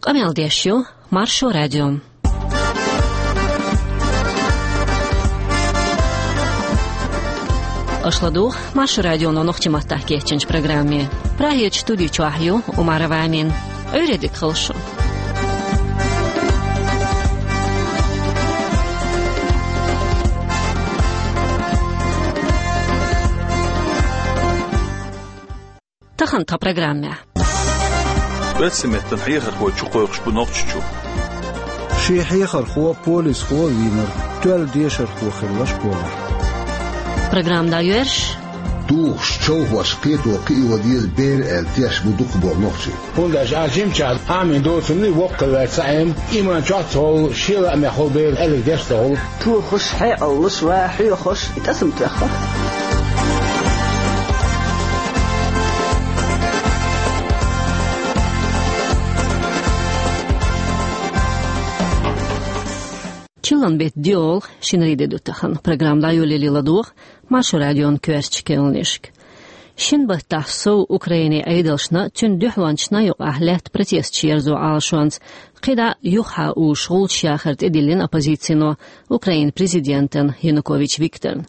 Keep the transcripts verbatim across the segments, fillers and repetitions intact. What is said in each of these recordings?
Къамел деш ю Маршо радио. Аша ладугӀу Маршо радионо нохчийн маттахь кечйинчу программе. Прагерчу студи чохь ю Умарова Амина. Ӏуьйре дика хуьлда шун. Тахана тхан программехь. Оьрсийн меттан хьехархочо кхойкхуш бу Нохчийчу. Шен хьехархо, полисхо а вийнарг тоьлла дешархо хилла школехь. Программа дӀайоьрзуш. Тухуш човхош кхето кхио деза бер аьлла теш бу дукхахболу нохчий. ХӀунда аьлча а жимачохь Ӏамийна доцург воккхаваьлла ца Ӏема, иман чохь а ца хуьлу, шен лаамехь хуьлу бер аьлларг деш ца хуьлу. Тухуш, хьекъаллаш, ва хьоьхуш, и тӀасам тоьхна. Чиллан беттан доьалгӀа, шинарин де ду тахана. Программа дӀайолале ладогӀа Маршо радион коьртачу керланашка. Шина баттахь сов Украинин Ӏедалшна, цуьнан дуьхьалончашна юкъахь лаьтта протесташ ерзо Ӏалашонца, кхидӀа юххехь уьш гӀулчаш яхар тӀедиллина оппозицино Украинан президентана Янукович Викторна.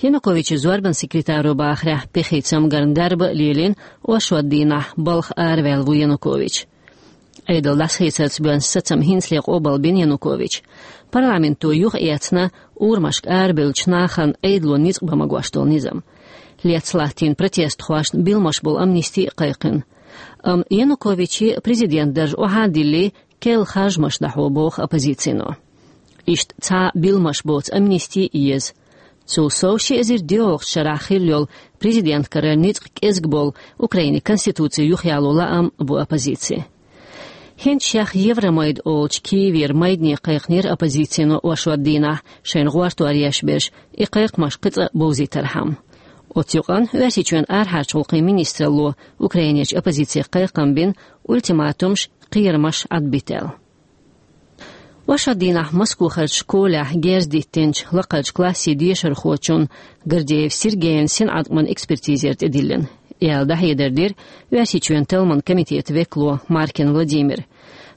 Януковичан зорбанан секретаро бахарехь, пехица цамгарна дарба а лелийна, оршот дийнахь балха араваьлла ву Янукович. Ӏедал дӀасахецарца боьзна сацам хӀинцале къобалбина Януковича. Парламенто юхаэцна урамашка арабевллачу нахана Ӏедало ницкъ бан магош долу низам. Лецна латтийна протестхошна билламаш болу амнисти а кхайкхина. Амма Януковиче президент дарж охьа а диллий, керла харжамаш дӀахьо боху оппозицино. Иштта цхьа а билламаш боцу амнисти а еза. Цул сов ши эзар доьалгӀачу шарахь хилла йолу президент карара ницкъ кӀезиг болу Украинин конституци юхаяло лаам бу оппозицин. ХӀинца шех Евромайда олучу Киевера майдане кхайкхинера оппозицино оршот дийнахь, шайна гӀортор еш берш, и кхайкхамаш кхин цкъа а бовзийтархьама. Оцу юкъана Оьрсийчоьнан арахьарчу гӀуллакхийн министралло Украинерчу оппозице кхайкхам бина, ультиматумаш, кхерамаш Ӏадбита аьлла. Оршот дийнахь Москвахарчу школехь герз диттинчу лакхарчу классийн дешархочун Гордеев Сергейн синӀаткъаман экспертизера тӀедиллина, аьлла дӀахьедар дира Оьрсийчоьнан талламан комитетан векало Маркин Владимира.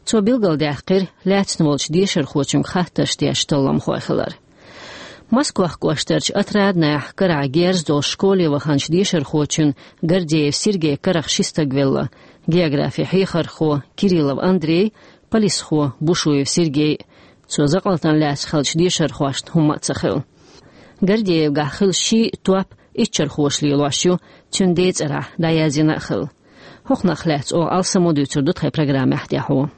Цо билгалдаьккхира лаьцна волчу дешархочуьнга хаттарш деш талламхой хилар. Москох кӀоштарчу Отраднехь карахь герз долуш школе ваханчу дешархочун Гордеев Сергейн карах ши стаг велла: географин хьехархо Кириллов Андрей, полисхо Бушуев Сергей. Цо закъалтана лаьцна хиллачу дешархошна хӀумма а ца хилла. Гордеевгахь хилла ши топ иччархоша лелош ю, цуьнан ден цӀарахь дӀаязйина а хилла. ХӀокхунах лаьцна оха алсамо дуьйцур ду тхайн программехь тӀаьхьо.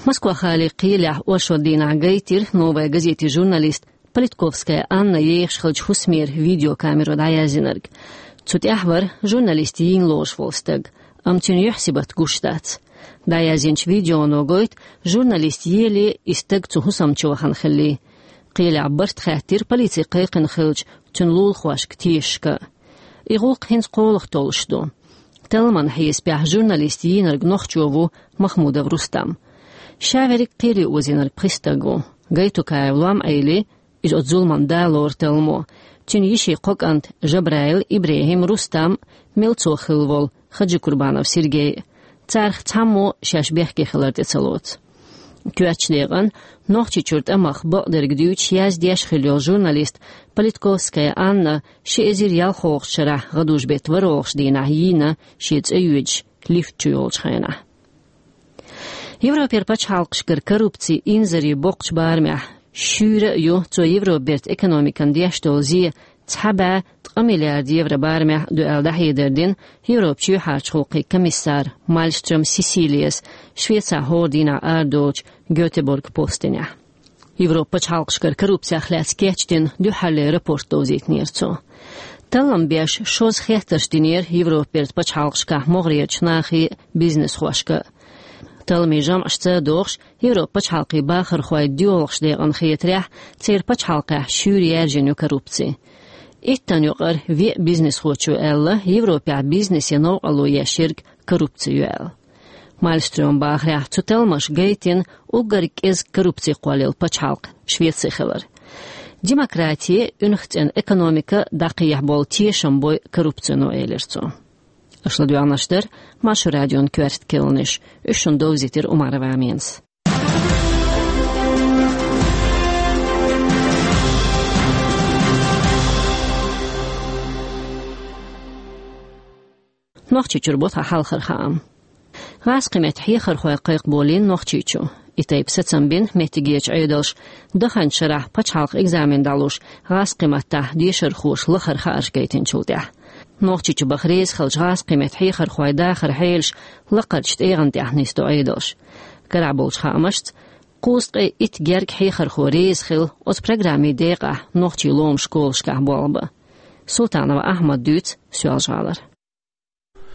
Москва-гӀалин кхелехь оршот дийнахь гайтира «Новая газетин» журналист Политковская Анна ехаш хиллачу хӀусамера видеокамеро дӀаязйинарг. Цу тӀехь вара журналист йийна лоруш волу стаг, амма цуьнан юьхь-сибат гуш дац. ДӀаязйинчу видеоно гойту журналист еле и стаг цу хӀусам чу вахана хиллий. Кхелехь барт хаьттира полице кхайкхина хиллачу цуьнан лулахошка, тешашка. И гӀуллакх хӀинца кхоалгӀа толлуш ду. Талламан хьесапехь журналист йийнарг нохчо ву Махмудов Рустам. Ша верриг кхеле озийнарг пхи стаг ву. Гайтукаев лом Ӏели, иза оцу зуламан да лору талламо, цуьнан йишин кхо кӀант Жабраил, ИбрахӀим, Рустам, милцо хилла волу Хаджикурбанов Сергей. Царах цхьаммо шаьш бехке хилар тӀе ца лоцу. Коьртачу декъана Нохчийчуьра тӀамах бакъдерг дуьйцуш, яздеш хилла йолу журналист Политковская Анна ши эзар ялхолгӀачу шарахь гӀадужу-беттан ворхӀалгӀачу дийнахь йийна, шен цӀе йоьдуш лифта чу йолчу хенахь. Европера пачхьалкхашкара коррупцин инзаре боккхачу барамехь шуьйра а ю цо Европан бертан экономикана деш долу зе цхьа бӀе ткъа миллиард евро барамехь а ду аьлла дӀахьедар дина Европан чоьхьарчу гӀуллакхийн комиссара Малмстрём Сесилияс Швецехь хӀора дийнахь арадолучу Гётеборг-Постенехь. Европан пачхьалкхашкара коррупцих лаьцна кечдина дуьххьарлера рапорт довзийтинера цо. Таллам беш шозза хеттарш динера Европан бертан пачхьалкхашкахь могӀарерчу нахе а, бизнесхошка а. Талламийн жамӀашца а догӀуш, Европан пачхьалкхийн бахархойн доьалгӀачу декъана хетарехь, церан пачхьалкхехь шуьйра яьржина ю коррупци. Иттанна юкъара веа бизнесхочо аьлла, Европехь бизнесе новкъарло еш ерг коррупци ю аьлла. Малмстрёман бахарехь, цу талламаша гайтина уггар кӀезиг коррупци кхоллаелла пачхьалкх Швеци хилар. Демократи, уьнах цӀена экономика дӀакхехьа болу тешам бой коррупцино, элира цо. Аша ладоьгӀнаш дара Маршо радион коьрта кхаьънаш. Уьш шуна довзийтира Умарова Аминас. Нохчийчуьра бу тхан хьалхара хаам. ГӀазкхийн меттан хьехархой кхайкхаболийна Нохчийчу. И тайпа сацам бина меттигерчу Ӏедалша даханчу шарахь пачхьалкхан экзамен дӀалуш гӀазкхийн маттахь дешархоша лахара хаарш гайтинчул тӀаьхьа. Нохчийчу баха реза хиллачу гӀазкхийн меттан хьехархойн дахаран хьелаш лакхарчу тӀегӀан тӀехь нисдо Ӏедалша. Карахь болчу хаамашца, кхузткъе итт герга хьехархо реза хилла оцу программин декъехь нохчийн ломан школашкахь болх бан. Султанов Ахьмада дуьйцу Соьлжа-ГӀалара.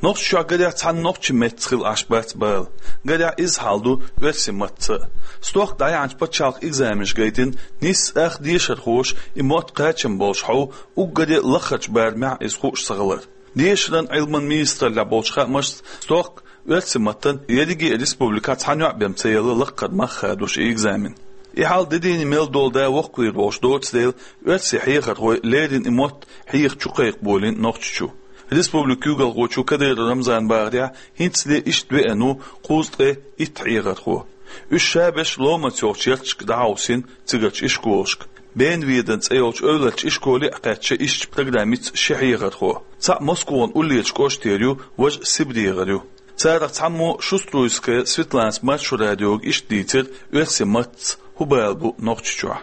Нохчийчохь гарехь цхьана нохчийн меттаца хилла Ӏаш бац бала. Гарехь изза хьал ду оьрсийн маттаца а. Стохка дӀаяьхьначу пачхьалкхан экзаменаш гайтина, нийсса ах дешархоша и мотт кхачам болуш хьов, уггаре а лахарчу барамехь иза хууш ца хилар. Дешаран, Ӏилман министраллехь болчу хаамашца, стохка оьрсийн маттана ерриге а республикехь цхьана йоӀ бен ца елла лакхара мах хадош и экзамен. И хьал де дийне мел долу да воккхавийр волуш доцу дела, оьрсийн хьехархой леррина и мотт хьеха чу кхайкхаболийна Нохчийчу. Республикан куьйгалхочо Кадыров Рамзана бахарехь, хӀинцале иштта веана ву кхузткъе итт хьехархо. Уьш ша берш ломанца йолчу ярташка дӀахьовсийна цигарчу ишколашка. Бенведен цӀе йолчу эвларчу ишколе а кхаьчна ишттачу программица ши хьехархо. Цхьаъ Москван уллерачу кӀоштера ю, важа СибрегӀара ю. Царах цхьаммо Шуструевская Светланас Маршо радиога иштта дийцира оьрсийн маттаца хӀун бала бу Нохчийчохь.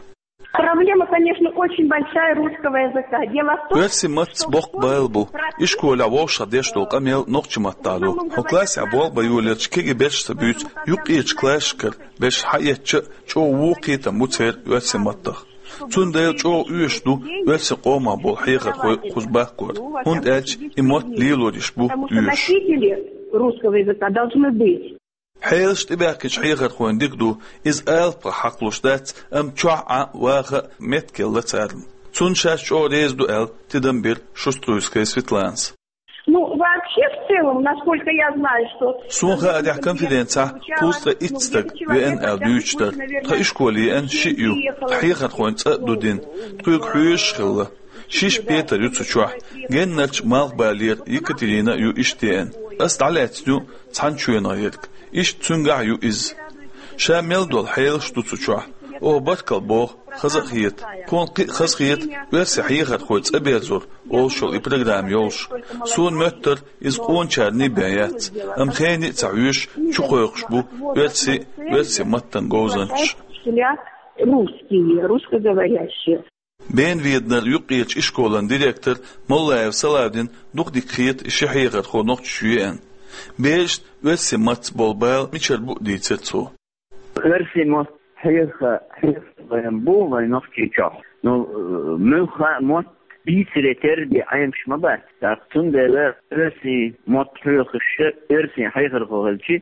Проблема, конечно, очень большая русского языка. Дело в том, оьрсийн маттаца боккха бала бу. Ишколехь вовшах деш долу къамел нохчийн маттахь ду. Хьо классехь болх бан йолаелча кегий берш ца буьйцу юккъерчу классашкара берш схьаэцча а чӀогӀа вон кхетам бу церан оьрсийн маттах. Цундела чӀогӀа оьшуш ду оьрсийн къомах болу хьехархой кхуза бахкор, хӀунда аьлча и мотт лелор йиш бу оьшуш. Носители русского языка должны быть. Хьелаш тӀебаьхкинчу хьехархойн дика ду, иза алапах хьакхалуш дац, амма чохь Ӏа а, ваха а меттигелла царна. Цунна шаьш чӀогӀа реза ду аьлла, тидам бира Шуструевская Светланас. Ну, вообще, в целом, насколько я знаю, что... Суна хаарехь, конференцехь кхузткъе итт стаг веана аьлла дуьйцуш дара. Тхан ишколе еана шиъ ю, тхан хьехархойн цӀа а ду дина. Тхоьга хьоьжуш хилла. Шишша Петар ю цу чохь. Геннарчу Малхбалера Екатерина а ю иштта еана. Ас дӀалаьцна ю цхьана чоьнах ерг. Иштта цуьнгахь а ю иза. Ша мел долу хьелаш ду цу чохь. Оха баркалла боху, хаза а хета. Тхуна кхин а хаза хета оьрсийн хьехархойн цӀа берзор олуш йолу и программа йолуш. Суна моьттура, иза къоначарний бен яц. Амма хене а ца хьоьжуш, чукхойкхуш бу оьрсийн а, оьрсийн маттан а говзанчаш. Учителя русские, русскоговорящие. Бенведенара юккъерчу ишколан директор Моллаев Салавдина дукха дика хета и ши хьехархо Нохчийчу еана. Берашна оьрсийн маттаца болу бала мичара бу а дийцира цо. Оьрсийн мотт хьеха, хьеха вайн бу вайн Нохчийчохь. Ну, э, муьлхха а мотт бийцаре терра бен Ӏемаш ма бац. ТӀаккха цундела оьрсийн мотт хьоьхуш, оьрсийн хьехархо хилча,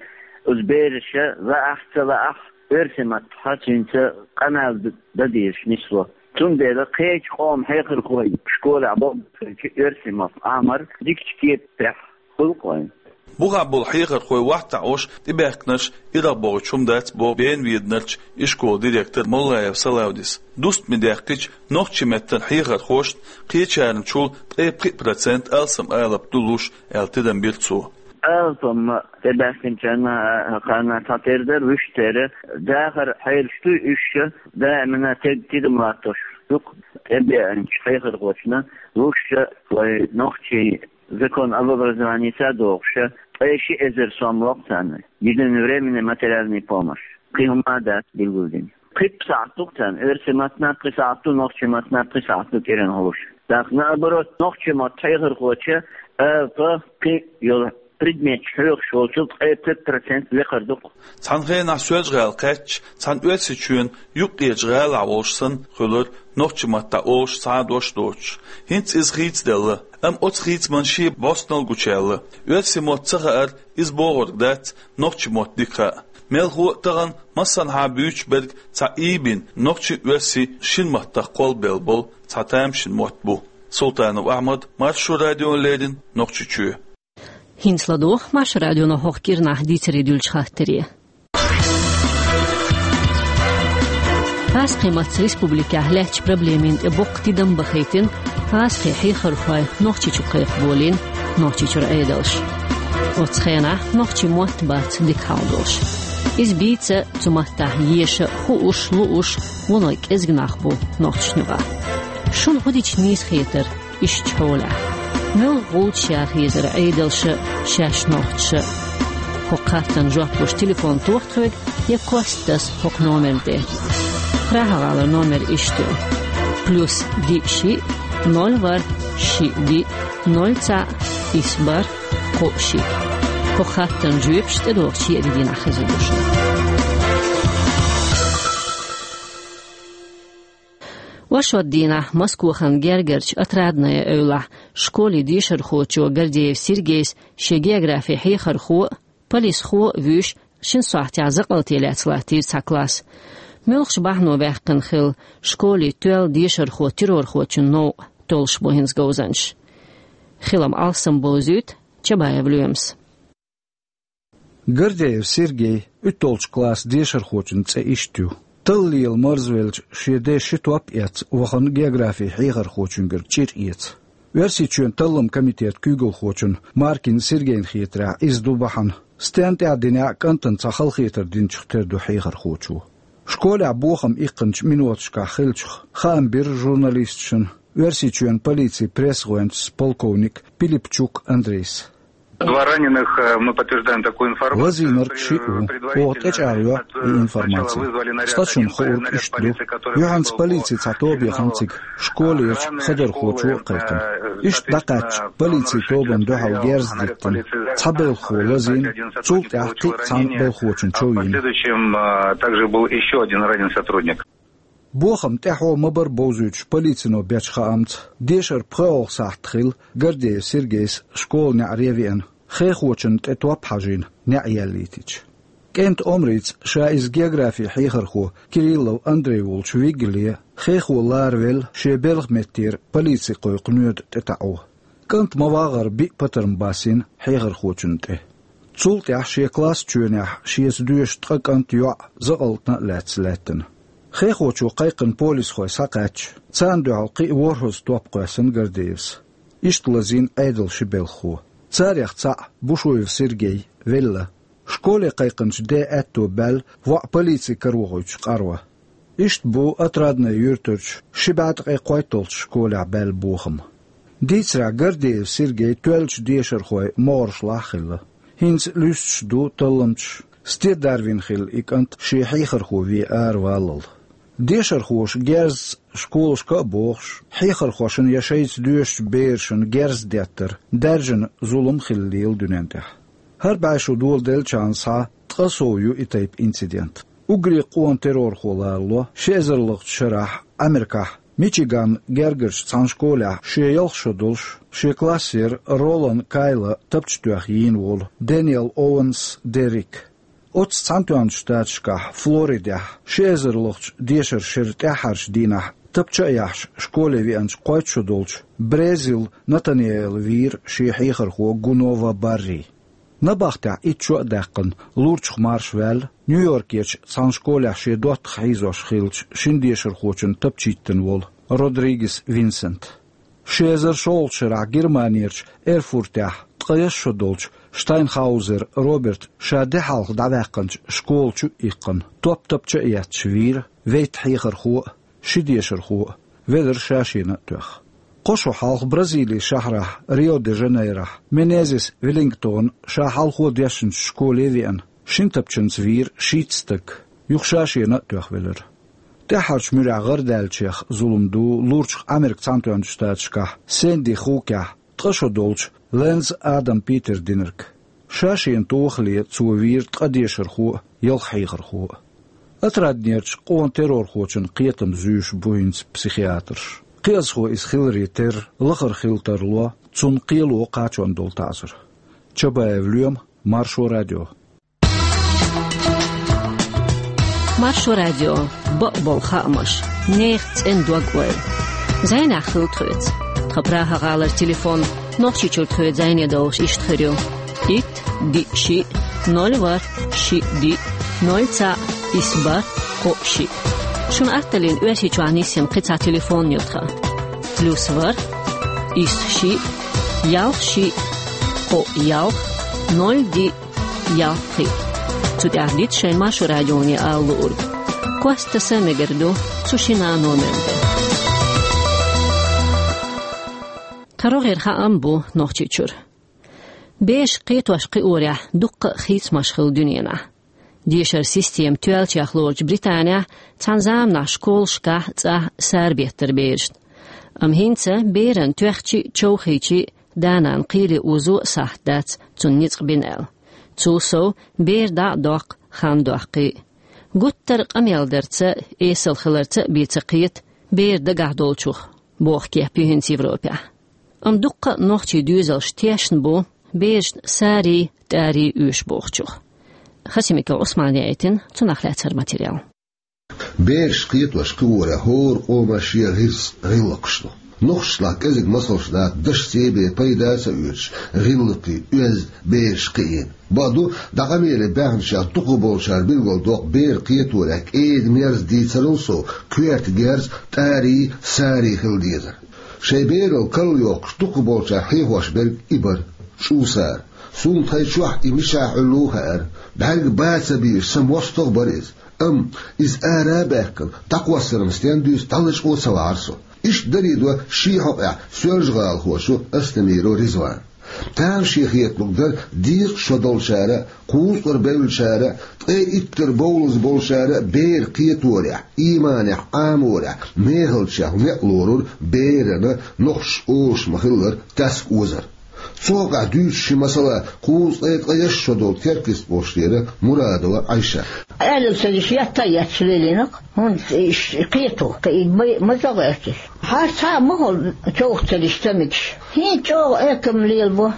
оцу бераша лаахь а, ца лаахь а, оьрсийн маттахь цуьнца къамел д-, дан дезаш нисло. Цундела кхечу къоман хьехархой школехь болх беш хилча, оьрсийн мотт Ӏамор дикачу кепехь хуьлу-кх вайн. Бухахь болу хьехархой вахтахь Ӏаш тӀебаьхкинарш ирахь бохуьйтуш хӀума дац, боху Бенведенарчу ишколан директор Моллаев Салавдис. Дустаме даьккхича, нохчийн меттан хьехархошна кхечарна чул ткъе пхиъ процент алсам алапа ду луш, аьлла тидам бира цо. Алапа-м тӀебаьхкинчарна, а, кхарна цхьатера дара, вуьшта тера. Дахаран хьелаш дуй уьш, даимана тед-, тидам латтош ду-кх тӀебеанчу хьехархочунна луш вайн нохчийн закон об образованица а дохуш, ткъе ши эзар сом ло-кх царна единовременная материальная помощь. Кхин хӀума а дац билгалдина. Пхи сахьт ду-кх царна оьрсийн маттана, пхи сахьт ду нохчийн маттана, пхи сахьт ду кӀиранхоша. ТӀаккха, наоборот, нохчийн мотт хьехархочо алапа, кхин йолу предметаш хьоьхуш волчул ткъе пхи процент лекхар ду-кх. Цхьана хенахь Соьлжа-ГӀала кхаьчча, цхьана Оьрсийчоьнан юккъерчу гӀалахь волуш санна хуьлура, нохчийн маттахь олуш цхьа а дош доцуш. ХӀинца иза хийцаделла, амма оцу хийцаман шен бӀостанал гучуяьлла. Оьрсийн мотт ца хаар, иза бохург дац, нохчийн мотт дика хаа. Мелхо а тахана массанхьа буьйцуш берг цхьа ийбина, нохчийн а, оьрсийн а шина маттах кхолбелла болу цхьа тамашийна мотт бу. Султанов Ахьмад, Маршо радиона леррина, Нохчийчоь. ХӀинца ладогӀа Маршо радионо хӀокху кӀирнахь дийцаре дуьллучу хаттаре. ГӀазкхийн маттаца республикехь лаьттачу проблемийн тӀе боккха тидам бахийтина гӀазкхийн хьехархой Нохчийчу кхайкхаболийна Нохчийчуьра Ӏедалша. Оцу хенахь нохчийн мотт бац дика хьалдолуш. Иза бийца а, цу маттахь еша а, хууш, лууш, вуно кӀезиг нах бу нохчашна юкъахь. Шуна хӀун дича нийса хетара иштта хьолехь? Муьлха гӀулчаш яха езара Ӏедалша а, шаьш нохчаша а? ХӀокху хаттарна жоп луш телефон тоха тхоьга я кост таса хӀокху номерна тӀе. Прага-гӀалара номер иштта ю: плюс диъ шиъ, ноль ворхӀ, шиъ диъ, ноль цхьаъ, исс бархӀ, кхоъ шиъ. ХӀокху хаттарна жоьпаш тӀедогӀучу еарин дийнахь хезар ду шуна. Оршот дийнахь Москвахана гергарчу Отрадное эвлахь школе дешархочо Гордеев Сергейс шен географин хьехархо а, полисхо а вуьйш, шина сохьтехь закъалталлехь латтийра цхьа класс. Муьлхачу бахьано ваьккхина хилла, школе тоьлла дешархо террорхочун новкъа толлуш бу хӀинца говзанчаш. Хилам алсам бовзуьйту Чабаев Лоьмас. Гордеев Сергей, уьтталгӀачу классан дешархочун цӀе иштта ю. Талла лела марзвелча, шен ден ши топ а эцна, вахана географин хьехархочуьнгара чӀир эца. Оьрсийчоьнан талламан комитетан куьйгалхочун Маркин Сергейна хетарехь, иза ду бахьана. Стенна тӀехь динехь а, кӀантана цхьа халахетар динчух тера ду хьехархочо. Школехь бохам иккхинчу миноташкахь хиллачух хаам бира журналисташна Оьрсийчоьнан полицин пресс-гӀоьнчас полковник Пилипчук Андрейс. Два раненых, э, мы подтверждаем такую информацию. Лазийнарг шиъ ву. Оха тӀечӀагӀйо и информаци. Цкъачунна хаург иштта ду. Юьхьанца полицин цхьа тоба яхана цига. Школерчу хадархочо а кхайкхина. Иштта дӀакхаьчча, полицин тобанна дуьхьал герз диттина. Цхьа белхахо лазийна, цул тӀаьхьа кхин а цхьана белхахочун чов йина. Последующем, э, также был ещё один ранен сотрудник. Бохам тӀаьхьо ма-барра бовзуьйтуш полицино бечу хаамца, дешаран пхоьалгӀа сахьт хилла Гордеев Сергейс школа неӀаре а веана, хехочунна тӀе топ хьажийна, неӀ яьллийтича. КӀентан омрица ша иза географин хьехархо Кириллов Андрей волчу вигале, хехо ларавелла, шен белхан меттера полици кхойкху ноьда тӀетаӀо. КӀант ма-вагӀара биъ патарм басийна хьехархочунна тӀе. Цул тӀаьхьа шен класс чоьнехь шеца доьшуш ткъа кӀант, йоӀ закъалтана а лаьцна лаьттина. Хехочо кхайкхина полисхой схьакхаьчча, царна дуьхьал кхин а ворхӀазза топ кхоьссина Гордеевс. Иштта лазийна Ӏедалан ши белхахо. Царех цхьаъ, Бушуев Сергей, велла. Школе кхайкхинчу ден аьтто баьлла воӀ полици карахуьйтуш къарво. Иштта бу Отрадное юьртарчу ши бӀе ткъе кхойтталгӀачу школехь баьлла бохам. Дийцарехь, Гордеев Сергей тоьллачу дешархойн могӀаршлахь а хилла. ХӀинца луьстуш ду талламчаш, стен дарвина хилла и кӀант шен хьехархо вен араваллал. Дешархоша герзаца школашка а бохуш, хьехархошна я шайца доьшучу берашна герз деттар даьржина зулам хилла лела дуьнен тӀехь. ХӀара бӀе шо доладеллачарна схьа ткъа сов ю и тайпа инцидент. Уггаре къона террорхо ларало ши эзарлгӀачу шарахь Америкахь Мичиган гергарчу цхьана школехь шен ялх шо долуш, шен классера Ролан Кайла тапча тоьхна йийна волу Дэниел Оуэнс Деррик. Оццу Цхьаьнатоьхначу Штаташкахь, Флоридехь, ши эзарлгӀачу дешаран шеран тӀаьххьарчу дийнахь тапча а яьхьаш школе веанчу кхойтта шо долчу Брезил Натаниэла вийра шен хьехархо Гунова Барри. Набахтехь итт шо а даьккхина, лурчух марша ваьлла Нью-Йоркерчу цхьана школехь шен доттагӀа хьийзош хиллачу шина дешархочунна тапча йиттина волу Родригес Винсент. Ши эзар шолгӀачу шарахь Германерчу Эрфуртехь ткъе исс шо долчу Штайнхаузер Роберта ша де хьалха дӀаваьккхинчу школа чу а иккхина, топ тапча а етташ вийра вейтта хьехархо а, ши дешархо а, велара ша шена а тоьхна. Кхо шо хьалха Бразилин шахьарахь Рио-де-Жанейрохь Менезес Веллингтона ша хьалхо дешначу школе а веана, шина тапчанца вийра шийтта стаг, юха ша шена а тоьхна велара. ТӀаьххьарчу муьрехь гӀарадаьллачех зулам ду лурчух Америка Цхьаьнатоьхначу Штаташкахь Сэнди Хукехь ткъа шо долчу Лэнз Адам Питера динарг. Ша шена тохале цо вийра ткъа дешархо а, ялх хьехархо а. Отраднерчу къона террорхочун кхетам зуьйш бу хӀинца психиатрша. Кхиазхо иза хиларе терра, лахара хила тарло, цунна кхело кхачон долу таӀзар. Чабаев Лоьма, Маршо радио. Маршо радио, бакъболу хаамаш, нехан цӀена дог-ойла. Зайнехь хила тхоьца. Тхан Прага-гӀалара телефон, Нохчийчуьра тхоьца зӀене долуш, иштта хир ю: итт, диъ, шиъ, ноль, ворхӀ, шиъ, диъ, ноль, цхьаъ, исс, бархӀ, кхоъ, шиъ. Шуна атталлин Оьрсийчохь нисйина кхин цхьа телефон ю тхан: плюс ворхӀ, исс, шиъ, ялх, шиъ, кхоъ, ялх, ноль диъ, ялх диъ. Цу тӀехь дита шайн Маршо радионе ала луург. Кост таса мегар ду цу шина номер тӀа. Кхин рогӀера хаам бу Нохчийчуьра. Бераш кхетош-кхиорехь дуккха а хийцамаш хилла дуьненахь. Дешаран система тоьллачех лоручу Британехь цхьана заманахь школашкахь цӀахь сарабеттара берашна. Амма хӀинца берана тоьхча а, човхийча а да-нана кхеле озо а сахьт дац цунна ницкъ бина аьлла. Цул сов, бер дӀа а доккху хан доккхий. Гуттар а къамел дарца а, эсала хиларца а бен ца кхета бер дагахь долчух, боху кеп ю хӀинца Европехь. Амма дуккха а нохчийн доьзалш тешна бу берашна сарий, тӀарий оьшу бохучух. Хасимиков Ӏусмана яийтина цунах лаьцна материал. Бераш кхетош-кхиорехь хӀора къоман шен гӀирс, гӀиллакхаш ду. Нохчашлахь кӀезиг масалш дац, дашца а бен пайда а ца оьцуш, гӀиллакхий, оьзда бераш кхиийна. Бакъду, дӀа къамеле баьхначех дукхахболчара билгалдоккху бер кхеторехь кӀеда-мерза дийцарал сов, коьрта герз, тӀарий, сарий хила дезар. Шайн берал карла йоккхуш дукхахболчара хьехош берг и бара, чӀусара. Суна тхайн чохь и мичахь Ӏуьллу а хаьара, бӀаьрг бан ца бийш, сан мостагӀа а бара иза. Амма иза ара а баьхкина, дӀакхоссаран стен дуьйцу дӀалачкъо а ца вахьара со. Иштта дарий до шен хьокъехь Соьлжа-ГӀалахочо Астемиров Ризвана. Тамашийна хеталург дара декъашхо долчара а, кхузткъара бевллачара а, ткъе иттара бовлаза болчара а бер кхеторехь, ийманехь, Ӏаморехь, мехалчех некъ лорура берана, нохчаша олуш ма-хиллара, тесна озар. Цу хьокъехь дуьйцу ши масала кхузткъе ткъе итт шо долу Теркйист бохучу тӀера Мурадова Ӏайша. Аьлла ца деш, етта а етташ лелийна-кх, хӀунда иштта кхето, кхин и ма-, маза гӀоьртира. Хьан цхьа а ма хуьлу човха ца деш ца мегаш. ХӀинца чӀогӀа экам лелабо.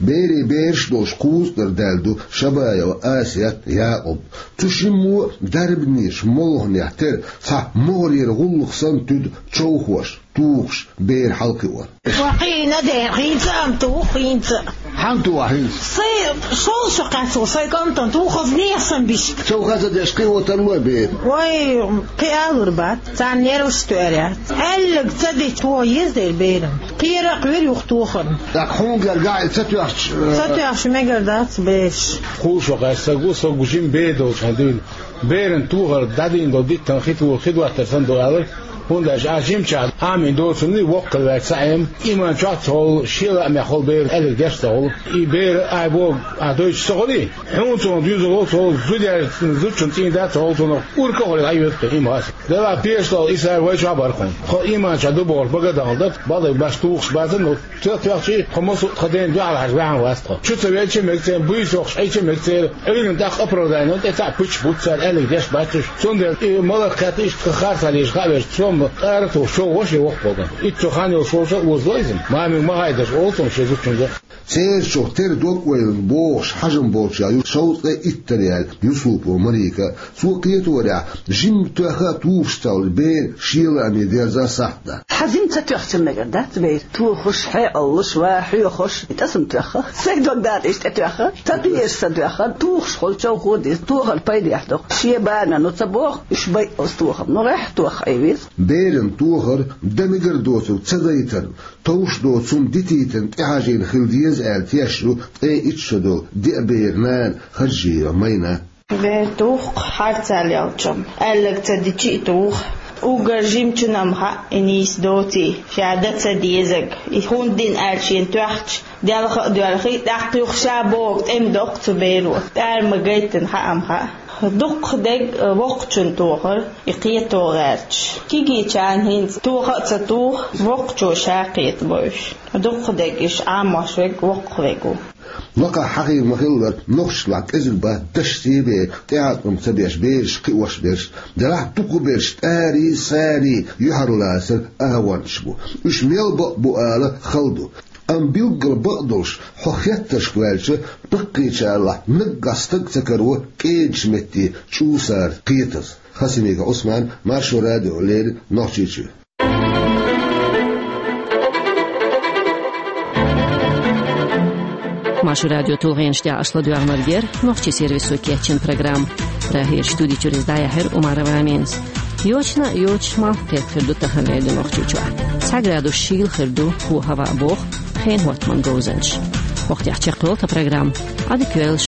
Берийн бераш а долуш кхузткъара даьлла ду Шабаева Асет, Якъуб. Цу шиммо а дарбанийн молханехь тера цхьа могӀарера гӀуллакх санна туьду човхош, тухуш, бер хьалакхиор. Ва кхийна дера, хӀинца а ма туху, хӀинца а. Хьан туху хӀинца? Сайн шовзткъа шо кхаьчна сайн кӀантана туху, хаза нехан санна бишка. Човха ца деш кхио тарло бер? Вай, кхин алур бац, царна нерваш тоьар яц. Аьлларг ца дича тоха еза дера берана. Кхера а кхоьру юха тохарна. ТӀаккха хьуна гергахь и ца тоьхча, э, ца тоьхча мегар дац бераш. Кхузткъа шо кхаьчна стаг ву, стаг ву жима бер долчу хьайн дуьйна. Беран тохар дӀадийна долу диттан хи тохар, хи доттар санна ду алар, хӀунда аьлча а жимчохь Ӏамийна доцурний воккхал ваьлча ца Ӏема, ийман чохь а ца хуьлу, шен лаамехь хуьлу бер аьлларг деш а ца хуьлу. И бер ахь боху ахь дойтуш ца хуьлий? Хьуна цунах доьзал хуьлу, цо зуда яьлча зудчун цӀийна дац ца хуьлу, цунах урка а хуьлий, Ӏайоьду тхо, и ма хаса. Делахь пеша долу и сара вай чохь а бара хьуна. Тхо ийман чохь ду бохург бага а дахана дара, бакъдерг баьш тухуш бацара, ну, Ца тоьхчий, тхо массо а тхан ден дуьхьал хьажа ваьхьна вац тхо. Чу ца велча а мега церан, буьйса йохуш Ӏийча а мега церан, Ӏуьйранна тӀаккха оправдание, тӀе цхьаъ пуьччаш буц цара аьлларг деш бац уьш. Цундела и маларх кхетта иштта тхан харцахьа лежа хаа веза, сом къара тухуш, чов гӀо шен воккха болдан. Итт цу хан йолуш волча а озало иза. Мамиг ма хьайдаш олу цунах шен зудчуьнга. Церан чух тера дог-ойланна бохуш хьажам болчех ю шовзткъе иттара яьлла Юсупова Марика. Цо кхеторехь, жимма тоьхна а тухуш ца хуьлу бер шен лааме дерза сахьт дац. Хьан жимма ца тоьхча мегар дац бер? Тухуш, хьекъаллуш, ва хьоьхуш, и тӀе сама тоьхна. Сайн дог дакъа иштта тӀе тоьхна. Ца дезаш ца тоьхна, тухуш хуьлу, човхо а деза, тохар пайдехь ду. Шен бана ну ца боху, уьш байъалц тохам. Ну гӀеххьа тоха Ӏе веза. Беран тохар дан мегар доцург ца дайтарна, товш доцу цунна дитийтарна тӀехьажийна хила деза аьлла тешна ю ткъе итт шо долу деа беран нана Хаджиева Майна. Бер туху-кх харцахьа лелча-м, аьлларг ца дича а туху. Уггар жимачунна-м хаьа и нийса доций, ша дан ца дезарг. И хӀунда дина аьлча шена тоьхча, делха а доьлхий, тӀаккха юха ша бохург тӀе ма доккху цу беро. ТӀара ма гайтина хаьа-м хаьа. Дуккха дерг воккхачунна тохар, и кхето гӀерташ. Кегийчарна хӀинца тоха а ца туху, воккхачо ша кхетабо уьш. Дуккха дерг уьш Ӏамош верг воккхах верг ву. Лакхахь хьахийна ма-хиллара, нохчашлахь кӀезиг бац дашца а бен, тӀеӀаткъам ца беш бераш кхиош берш. Делахь дукхахберш тӀарий, сарий юьхьарлацар агӀончаш бу. Уьш мел бакъ бу ала хала ду. Амма билггал бакъдолуш, хьо хеттаршка ваьлча, баккхийчарлахь наггахь стаг ца каро кӀедачу метте чӀусара кхетаза. Хасимиков Ӏусман, Маршо радио, леррина Нохчийчуьра. Маршо радион тулгӀенаш тӀехь аша ладоьгӀнарг яра нохчийн сервисо кечйина программа. Прагерчу студи чуьра иза дӀаяьхьира Умарова Аминас. Йочана а йоцуш, малх кхетта хир ду тахана леррина Нохчийчохь. Цхьа градус шийла хир ду, хӀо-хӀаваъ боху хенан хӀоттаман говзанчаша. Вахтехь чекхйолу тхан программа. Ӏадика йойла.